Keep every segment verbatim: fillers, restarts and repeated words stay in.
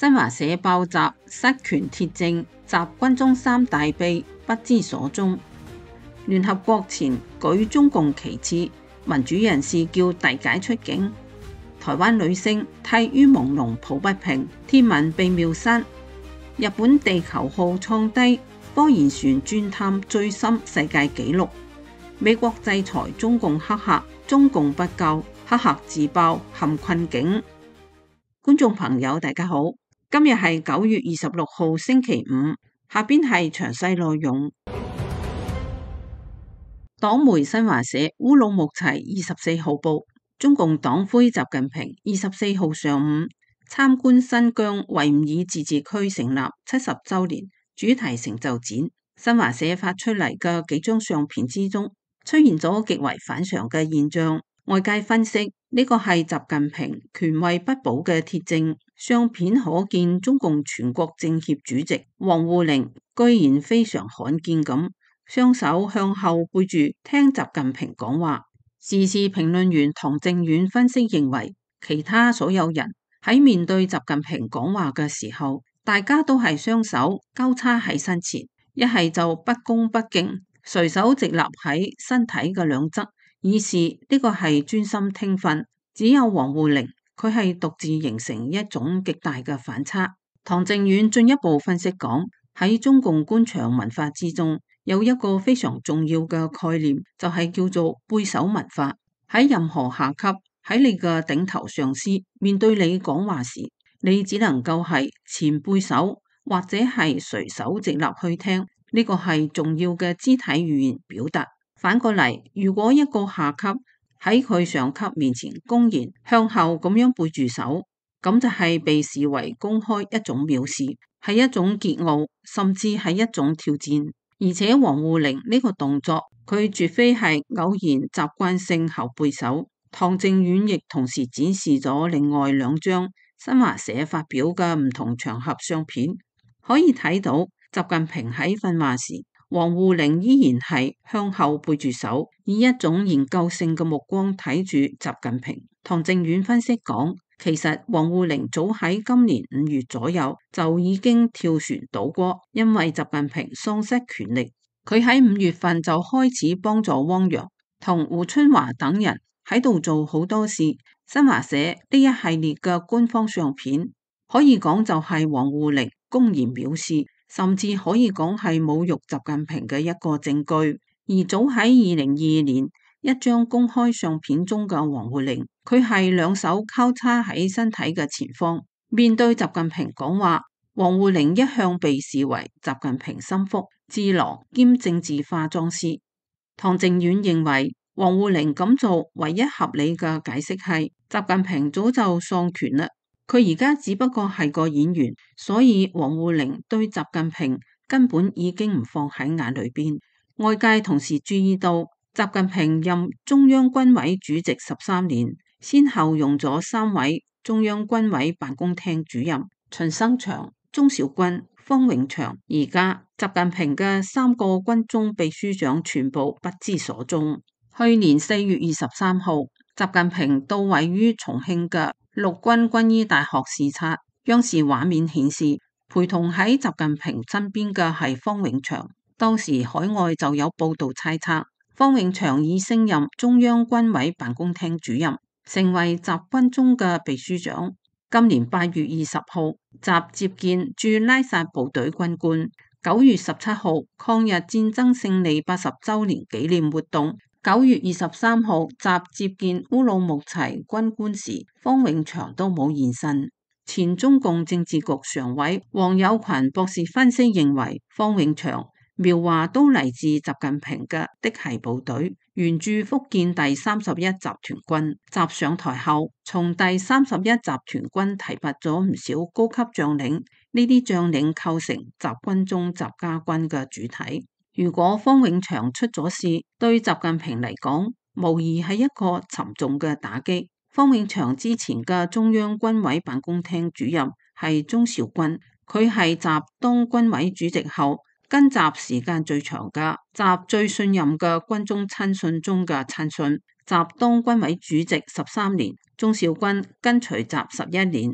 新華社爆習失權鐵證，習軍中三大秘不知所蹤。聯合國前舉中共旗幟，民主人士叫遞解出境。台灣女星涕於朦朧抱不平，天文被秒殺。日本地球號創低科研船鑽探最深世界紀錄。美國制裁中共黑客，中共不救，黑客自爆陷困境。觀眾朋友大家好，今日係九月二十六號星期五，下邊係詳細內容。黨媒新華社烏魯木齊二十四號報，中共黨魁習近平二十四號上午參觀新疆維吾爾自治區成立七十周年主題成就展。新華社發出嚟嘅幾張相片之中，出現咗極為反常嘅現象。外界分析呢個係習近平權位不保嘅鐵證。相片可見中共全國政協主席王滬寧居然非常罕見咁雙手向後背住聽習近平講話。時事評論員唐正遠分析認為，其他所有人喺面對習近平講話嘅時候，大家都係雙手交叉喺身前，一係就不恭不敬，隨手直立喺身體嘅兩側，以示呢個係專心聽訓。只有王滬寧，佢係獨自形成一種極大嘅反差。唐正遠進一步分析講，喺中共官場文化之中，有一個非常重要嘅概念，就係叫做背手文化。喺任何下級，喺你嘅頂頭上司面對你講話時，你只能夠係前背手，或者係隨手直立去聽。呢個係重要嘅肢體語言表達。反過嚟，如果一個下級喺佢上級面前公然向後咁樣背住手，咁就係被視為公開一種藐視，係一種桀驁，甚至係一種挑戰。而且王滬寧呢個動作，佢絕非係偶然習慣性後背手。唐正遠亦同時展示咗另外兩張新華社發表嘅唔同場合相片，可以睇到習近平喺訓話時，王滬寧依然係向後背住手，以一種研究性嘅目光睇住習近平。唐正遠分析講，其實王滬寧早喺今年五月左右就已經跳船倒戈，因為習近平喪失權力。佢喺五月份就開始幫助汪洋同胡春華等人喺度做好多事。新華社呢一系列嘅官方相片，可以講就係王滬寧公然藐視，甚至可以講係侮辱習近平嘅一個證據。而早喺二零二二年一張公開相片中嘅王滬寧，佢係兩手交叉喺身體嘅前方，面對習近平講話。王滬寧一向被視為習近平心腹、智囊兼政治化妝師。唐正遠認為，王滬寧咁做唯一合理嘅解釋係習近平早就喪權啦，佢而家只不過係個演員，所以王滬寧對習近平根本已經唔放喺眼裏邊。外界同時注意到，習近平任中央軍委主席十三年，先後用咗三位中央軍委辦公廳主任：秦生祥、鍾小軍、方永祥。而家習近平嘅三個軍中秘書長全部不知所蹤。去年四月二十三號，習近平到位於重慶嘅陸軍軍醫大學視察，央視畫面顯示，陪同喺習近平身邊嘅係方永祥。當時海外就有報道猜測，方永祥已升任中央軍委辦公廳主任，成為習軍中嘅秘書長。今年八月二十號，習接見駐拉薩部隊軍官。九月十七號，抗日戰爭勝利八十周年紀念活動。九月二十三號，習接見烏魯木齊軍官時，方永祥都冇現身。前中共政治局常委王友群博士分析認為，方永祥描畫都嚟自習近平嘅嫡系部隊，原駐福建第三十一集團軍。習上台後，從第三十一集團軍提拔咗唔少高級將領，呢啲將領構成習軍中習家軍嘅主體。如果方永祥出咗事，對習近平嚟講，無疑係一個沉重嘅打擊。方永祥之前嘅中央軍委辦公廳主任係鍾兆軍，佢係習當軍委主席後，跟習時間最長嘅，習最信任嘅軍中親信中嘅親信。習當軍委主席十三年，鍾兆軍跟隨習十一年。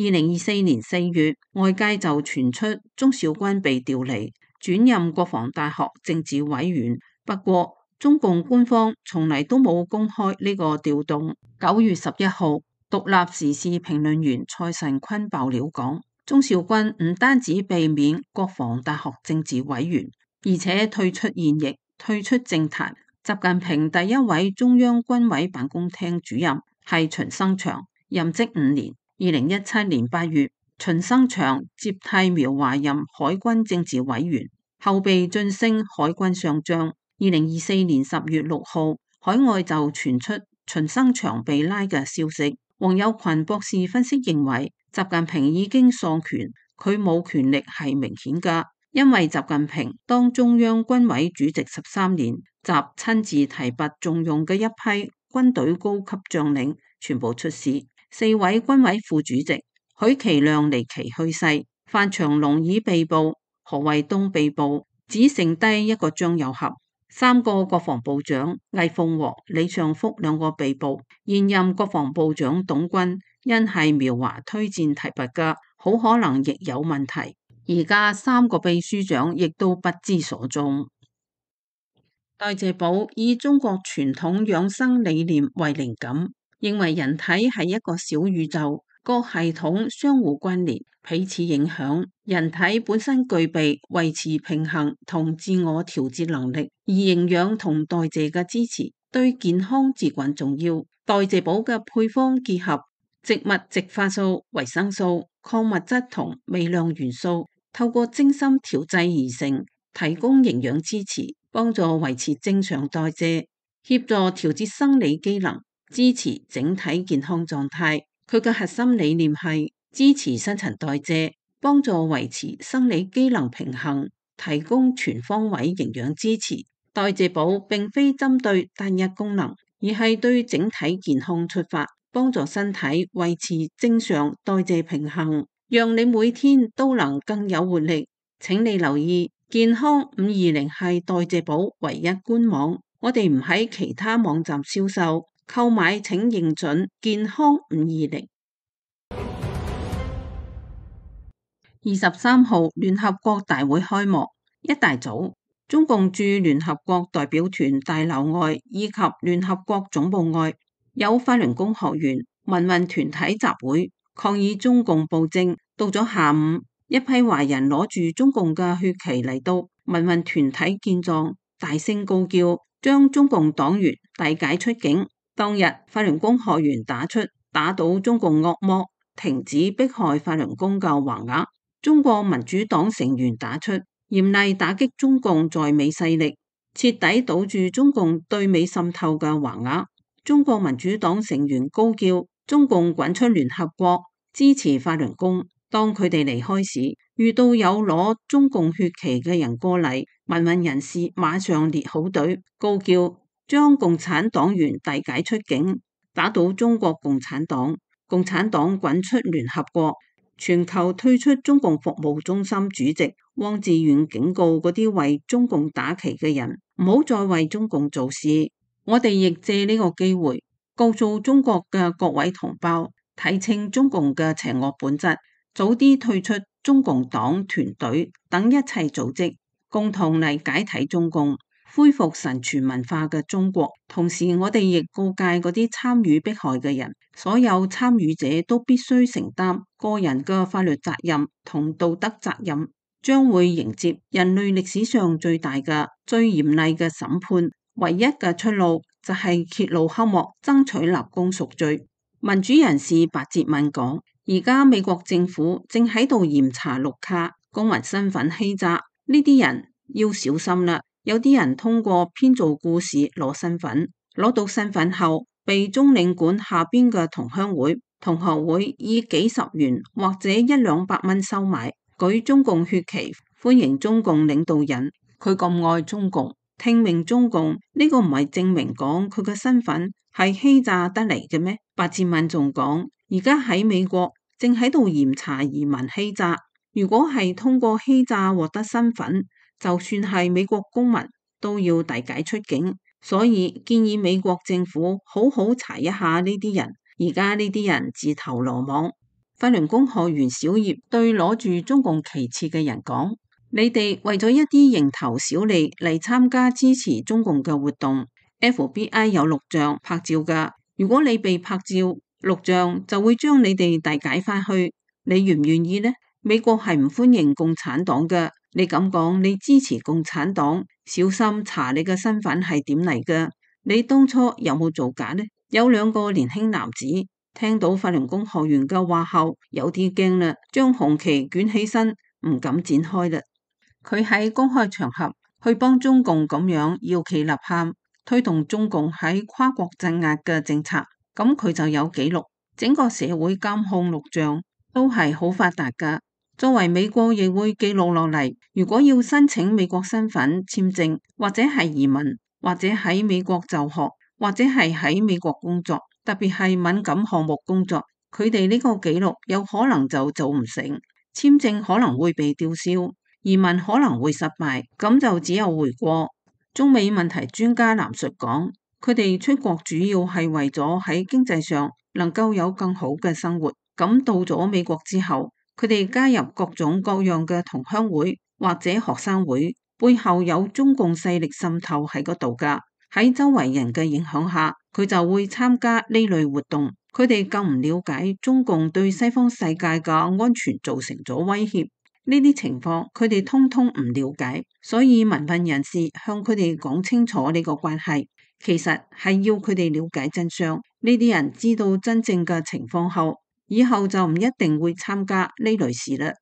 二零二四年四月，外界就傳出鍾肇軍被調離，轉任國防大學政治委員。不過，中共官方從嚟都冇公開呢個調動。九月十一號，獨立時事評論員蔡慎坤爆料講，鍾肇軍唔單止避免國防大學政治委員，而且退出現役，退出政壇。習近平第一位中央軍委辦公廳主任係秦生祥，任職五年。二零一七年八月，秦生祥接替苗華任海軍政治委員，後被晉升海軍上將。二零二四年十月六號，海外就傳出秦生祥被拉嘅消息。王友群博士分析認為，習近平已經喪權，佢冇權力係明顯㗎，因為習近平當中央軍委主席十三年，習親自提拔重用嘅一批軍隊高級將領全部出事，四位軍委副主席許其亮離奇去世，范長龍已被捕，何衛東被捕，只剩低一個張又俠。三個國防部長魏鳳和、李尚福兩個被捕，現任國防部長董軍因係苗華推薦提拔嘅，好可能亦有問題。而家三個秘書長亦都不知所蹤。代謝寶以中國傳統養生理念為靈感，認為人體係一個小宇宙，各系統相互關聯，彼此影響。人體本身具備維持平衡同自我調節能力，而營養同代謝嘅支持對健康至關重要。代謝寶嘅配方結合植物植化素、維生素、礦物質同微量元素，透過精心調製而成，提供營養支持，幫助維持正常代謝，協助調節生理機能，支持整體健康狀態。佢嘅核心理念係支持新陳代謝，幫助維持生理機能平衡，提供全方位營養支持。代謝寶並非針對單一功能，而係對整體健康出發，幫助身體維持正常代謝平衡，讓你每天都能更有活力。請你留意，健康五二零係代謝寶唯一官網，我哋唔喺其他網站銷售。購買請認準健康五二零。二十三號聯合國大會開幕，一大早，中共駐聯合國代表團大樓外以及聯合國總部外，有法輪功學員、民運團體集會抗議中共暴政。到咗下午，一批華人攞住中共嘅血旗嚟到民運團體見狀，大聲高叫，將中共黨員遞解出境。當日法輪功學員打出打倒中共惡魔，停止迫害法輪功嘅橫額。中國民主黨成員打出嚴厲打擊中共在美勢力，徹底堵住中共對美滲透嘅橫額。中國民主黨成員高叫中共滾出聯合國，支持法輪功。當佢哋離開時，遇到有攞中共血旗嘅人過嚟，民運人士馬上列好隊，高叫將共產黨員遞解出境，打倒中國共產黨，共產黨滾出聯合國，全球退出中共服務中心主席汪志遠警告嗰啲為中共打旗嘅人，唔好再為中共做事。我哋亦借呢個機會，告訴中國嘅各位同胞，睇清中共嘅邪惡本質，早啲退出中共黨團隊等一切組織，共同嚟解體中共，恢復神傳文化嘅中國。同時我哋亦告誡嗰啲參與迫害嘅人，所有參與者都必須承擔個人嘅法律責任同道德責任，將會迎接人類歷史上最大嘅最嚴厲嘅審判。唯一嘅出路就係揭露黑幕，爭取立功贖罪。民主人士白哲敏講，而家美國政府正喺度嚴查綠卡公民身份欺詐，呢啲人要小心啦。有啲人通過編造故事攞身份，攞到身份後被中領館下邊嘅同鄉會、同學會以幾十元或者一兩百蚊收買，舉中共血旗歡迎中共領導人。佢咁愛中共，聽命中共，呢個唔係證明講佢嘅身份係欺詐得嚟嘅咩？白志敏仲講，而家喺美國正喺度嚴查移民欺詐，如果係通過欺詐獲得身份，就算係美國公民都要遞解出境，所以建議美國政府好好查一下呢啲人。而家呢啲人自投羅網，法輪功學員小葉對攞住中共旗幟嘅人講：你哋為咗一啲蠅頭小利嚟參加支持中共嘅活動 ，F B I 有錄像拍照噶。如果你被拍照，錄像就會將你哋遞解返去。你願唔願意呢？美國係唔歡迎共產黨嘅。你咁講，你支持共產黨，小心查你嘅身份係點嚟嘅。你當初有冇造假呢？有兩個年輕男子聽到法輪功學員嘅話後，有啲驚啦，將紅旗捲起身，唔敢展開啦。佢喺公開場合去幫中共咁樣搖旗吶喊，推動中共喺跨國鎮壓嘅政策，咁佢就有記錄，整個社會監控錄像都係好發達噶。作為美國亦會記錄落嚟。如果要申請美國身份簽證，或者係移民，或者喺美國就學，或者係喺美國工作，特別係敏感項目工作，佢哋呢個記錄有可能就做唔成，簽證可能會被吊銷。移民可能會失敗，咁就只有回國。中美問題專家藍述講，佢哋出國主要係為咗喺經濟上能夠有更好嘅生活。咁到咗美國之後，佢哋加入各種各樣嘅同鄉會或者學生會，背後有中共勢力滲透喺嗰度噶。喺周圍人嘅影響下，佢就會參加呢類活動。佢哋更唔了解中共對西方世界嘅安全造成咗威脅。呢啲情況佢哋通通唔了解，所以民運人士向佢哋講清楚呢個關係，其實係要佢哋了解真相。呢啲人知道真正嘅情況後，以後就唔一定會參加呢類事啦。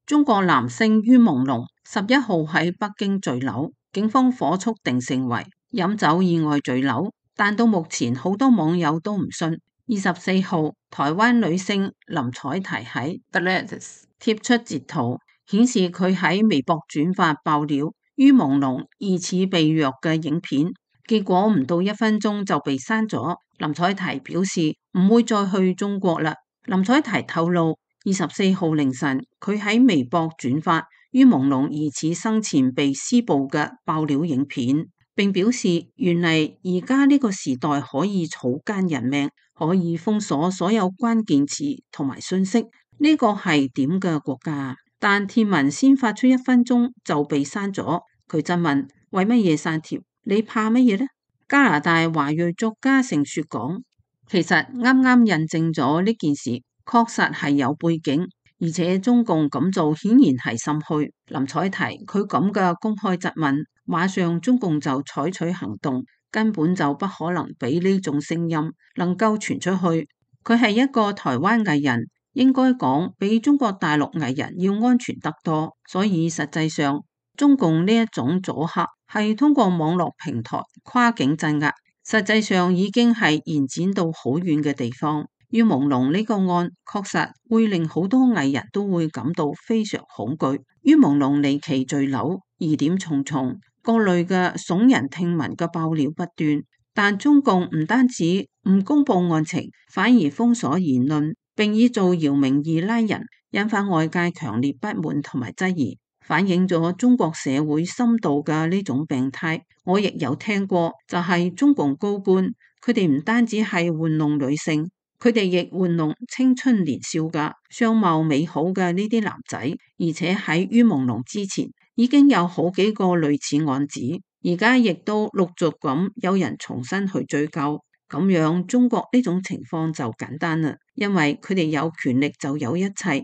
中國男星于朦朧十一號喺北京墜樓，警方火速定性為飲酒意外墜樓，但到目前好多網友都唔信。二十四號，台灣女星林采緹喺 Threads 貼出截圖，顯示佢喺微博轉發爆料于朦朧疑似被虐嘅影片，結果唔到一分鐘就被刪咗。林采緹表示唔會再去中國啦。林采緹透露，二十四號凌晨佢喺微博轉發于朦朧疑似生前被施暴嘅爆料影片，並表示原嚟而家呢個時代可以草菅人命，可以封鎖所有關鍵詞同埋信息，呢個係點嘅國家？但貼文先發出一分鐘就被刪咗。佢質問為乜嘢刪帖？你怕乜嘢呢？加拿大華裔作家盛雪講，其實啱啱印證咗呢件事確實係有背景，而且中共咁做顯然係心虛。林采緹佢咁嘅公開質問，馬上中共就採取行動，根本就不可能俾呢種聲音能夠傳出去。佢係一個台灣藝人，應該講比中國大陸藝人要安全得多。所以實際上，中共呢一種阻嚇係通過網絡平台跨境鎮壓，實際上已經係延展到好遠嘅地方。于朦朧呢個案確實會令好多藝人都會感到非常恐懼。于朦朧離奇墜樓，疑點重重，各類嘅聳人聽聞嘅爆料不斷，但中共唔單止唔公布案情，反而封鎖言論，並以造謠名義拉人，引發外界強烈不滿同埋質疑，反映咗中國社會深度嘅呢種病態。我亦有聽過，就係中共高官，佢哋唔單止係玩弄女性，佢哋亦玩弄青春年少嘅相貌美好嘅呢啲男仔，而且喺于朦朧之前已經有好幾個類似案子，而家亦都陸續咁有人重新去追究。咁樣中國呢種情況就簡單啦，因為佢哋有權力就有一切。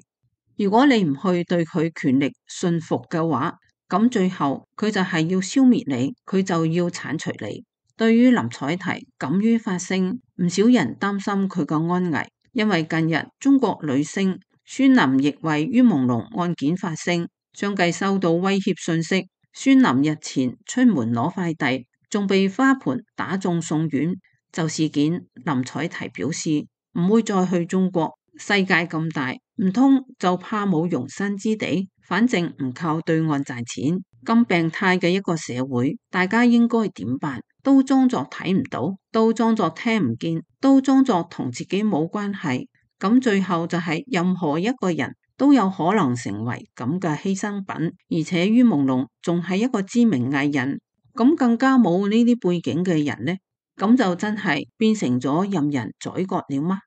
如果你唔去對佢權力信服嘅話，咁最後佢就係要消滅你，佢就要鏟除你。對於林采緹敢於發聲，唔少人擔心佢嘅安危，因為近日中國女星孫琳亦為于朦朧案件發聲，相繼收到威脅信息。孫琳日前出門攞快遞，仲被花盆打中送院。就事件，林采緹表示唔會再去中國，世界咁大，唔通就怕冇容身之地？反正唔靠對岸賺錢，咁病態嘅一個社會，大家應該點辦？都裝作睇唔到，都裝作聽唔見，都裝作同自己冇關係，咁最後就係任何一個人都有可能成為咁嘅犧牲品。而且于朦朧仲係一個知名藝人，咁更加冇呢啲背景嘅人呢，咁就真係變成咗任人宰割了嗎？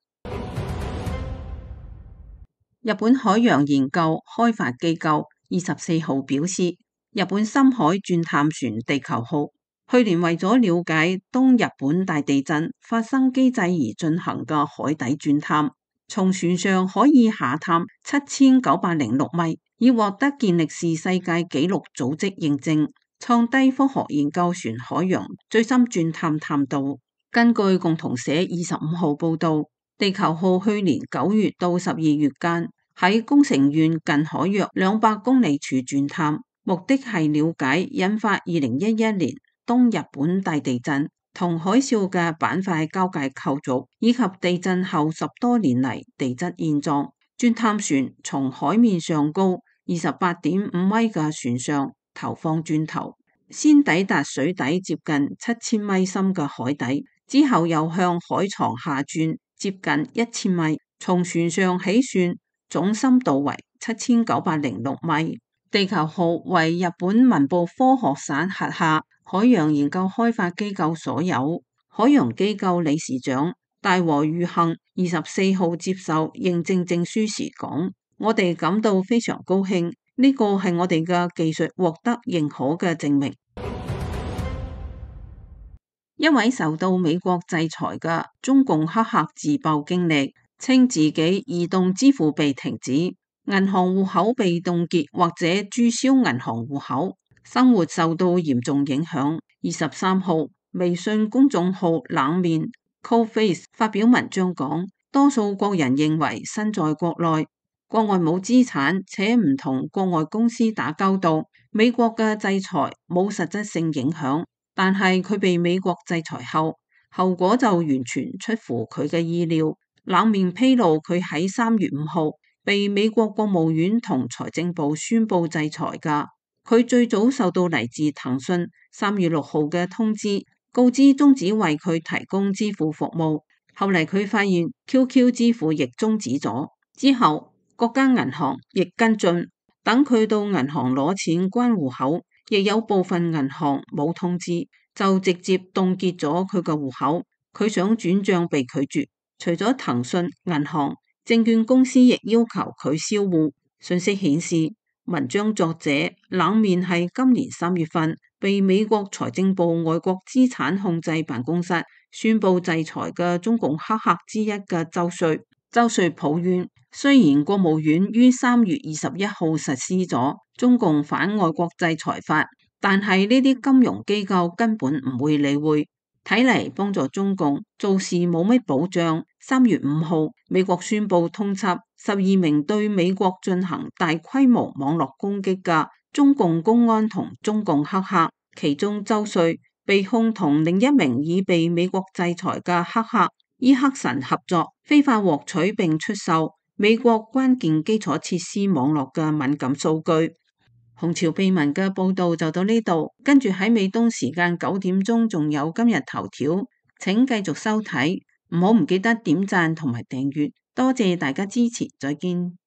日本海洋研究開發機構二十四號表示，日本深海鑽探船地球號去年為咗了解東日本大地震發生機制而進行嘅海底鑽探，從船上可以下探七千九百零六米，已獲得健力士世界紀錄組織認證，創低科學研究船海洋最深鑽探探度。根據共同社二十五號報道，地球號去年九月到十二月間喺宮城縣近海約兩百公里處鑽探，目的係了解引發二零一一年東日本大地震同海嘯嘅板塊交界構造，以及地震後十多年嚟地質現狀。鑽探船從海面上高二十八點五米嘅船上投放鑽頭，先抵達水底接近七千米深嘅海底，之後又向海床下鑽接近一千米，從船上起算，總深度為七千九百零六米。地球號為日本文部科學省轄下海洋研究開發機構所有。海洋機構理事長大和裕幸二十四號接受認證證書時講：我哋感到非常高興，呢個係我哋嘅技術獲得認可嘅證明。一位受到美國制裁嘅中共黑客自曝經歷，稱自己移動支付被停止，銀行戶口被凍結或者註銷銀行戶口，生活受到嚴重影響。二十三號，微信公眾號冷面 Cold Face 發表文章講，多數國人認為身在國內，國外冇資產，且唔同國外公司打交道，美國嘅制裁冇實質性影響。但係佢被美國制裁後，後果就完全出乎佢嘅意料。冷面披露佢喺三月五號被美國國務院同財政部宣布制裁㗎。佢最早受到嚟自騰訊三月六號嘅通知，告知終止為佢提供支付服務。後嚟佢發現 Q Q 支付亦終止咗，之後各間銀行亦跟進，等佢到銀行攞錢關戶口，亦有部分銀行冇通知，就直接凍結咗佢嘅戶口。佢想轉賬被拒絕，除咗騰訊銀行，證券公司亦要求佢銷戶。信息顯示，文章作者冷面係今年三月份被美國財政部外國資產控制辦公室宣布制裁嘅中共黑客之一嘅周瑞。周瑞抱怨，雖然國務院於三月二十一號實施咗中共反外國制裁法，但係呢啲金融機構根本唔會理會，睇嚟幫助中共做事冇乜保障。三月五號，美國宣布通緝十二名對美國進行大規模網絡攻擊嘅中共公安同中共黑客，其中周瑞被控同另一名已被美國制裁嘅黑客伊克臣合作，非法獲取並出售美國關鍵基礎設施網絡嘅敏感數據。紅潮秘聞嘅報道就到呢度，跟住喺美東時間九點鐘仲有今日頭條，請繼續收睇，唔好唔記得點讚同埋訂閱，多謝大家支持，再見。